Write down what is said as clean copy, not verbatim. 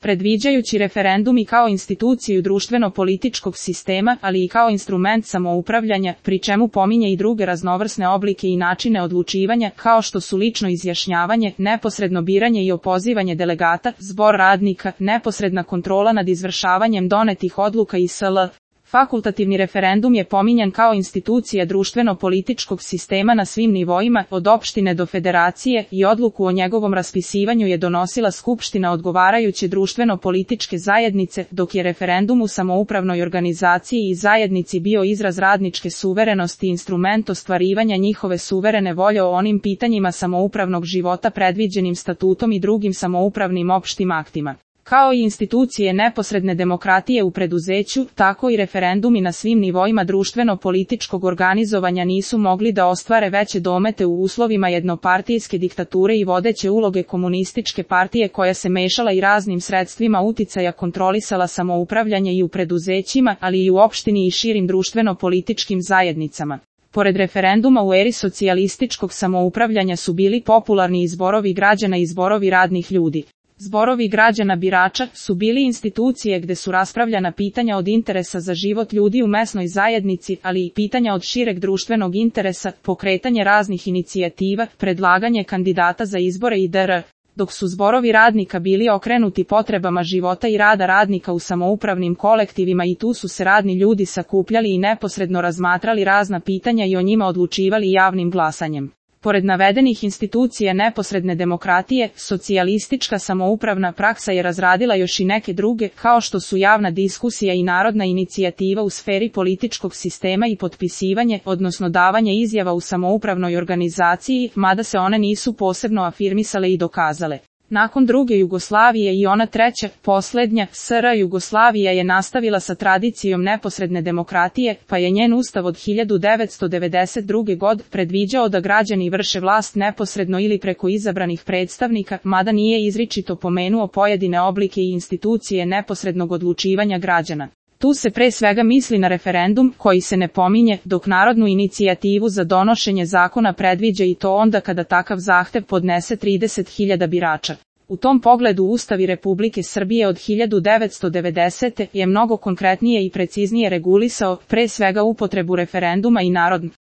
predviđajući referendum i kao instituciju društveno-političkog sistema, ali i kao instrument samoupravljanja, pri čemu pominje i druge raznovrsne oblike i načine odlučivanja, kao što su lično izjašnjavanje, neposredno biranje i opozivanje delegata, zbor radnika, neposredna kontrola nad izvršavanjem donetih odluka i sl. Fakultativni referendum je pominjan kao institucija društveno-političkog sistema na svim nivoima, od opštine do federacije, i odluku o njegovom raspisivanju je donosila skupština odgovarajuće društveno-političke zajednice, dok je referendum u samoupravnoj organizaciji i zajednici bio izraz radničke suverenosti i instrument ostvarivanja njihove suverene volje o onim pitanjima samoupravnog života predviđenim statutom i drugim samoupravnim opštim aktima. Kao i institucije neposredne demokratije u preduzeću, tako i referendumi na svim nivoima društveno-političkog organizovanja nisu mogli da ostvare veće domete u uslovima jednopartijske diktature i vodeće uloge komunističke partije koja se mešala i raznim sredstvima uticaja kontrolisala samoupravljanje i u preduzećima, ali i u opštini i širim društveno-političkim zajednicama. Pored referenduma u eri socijalističkog samoupravljanja su bili popularni i zborovi građana i zborovi radnih ljudi. Zborovi građana birača su bili institucije gde su raspravljana pitanja od interesa za život ljudi u mesnoj zajednici, ali i pitanja od šireg društvenog interesa, pokretanje raznih inicijativa, predlaganje kandidata za izbore itd. Dok su zborovi radnika bili okrenuti potrebama života i rada radnika u samoupravnim kolektivima i tu su se radni ljudi sakupljali i neposredno razmatrali razna pitanja i o njima odlučivali javnim glasanjem. Pored navedenih institucija neposredne demokratije, socijalistička samoupravna praksa je razradila još i neke druge, kao što su javna diskusija i narodna inicijativa u sferi političkog sistema i potpisivanje, odnosno davanje izjava u samoupravnoj organizaciji, mada se one nisu posebno afirmisale i dokazale. Nakon druge Jugoslavije i ona treća, poslednja, SR Jugoslavija je nastavila sa tradicijom neposredne demokratije, pa je njen ustav od 1992. godine predviđao da građani vrše vlast neposredno ili preko izabranih predstavnika, mada nije izričito pomenuo pojedine oblike i institucije neposrednog odlučivanja građana. Tu se pre svega misli na referendum, koji se ne pominje, dok narodnu inicijativu za donošenje zakona predviđa i to onda kada takav zahtev podnese 30.000 birača. U tom pogledu Ustav Republike Srbije od 1990. je mnogo konkretnije i preciznije regulisao, pre svega upotrebu referenduma i narodnog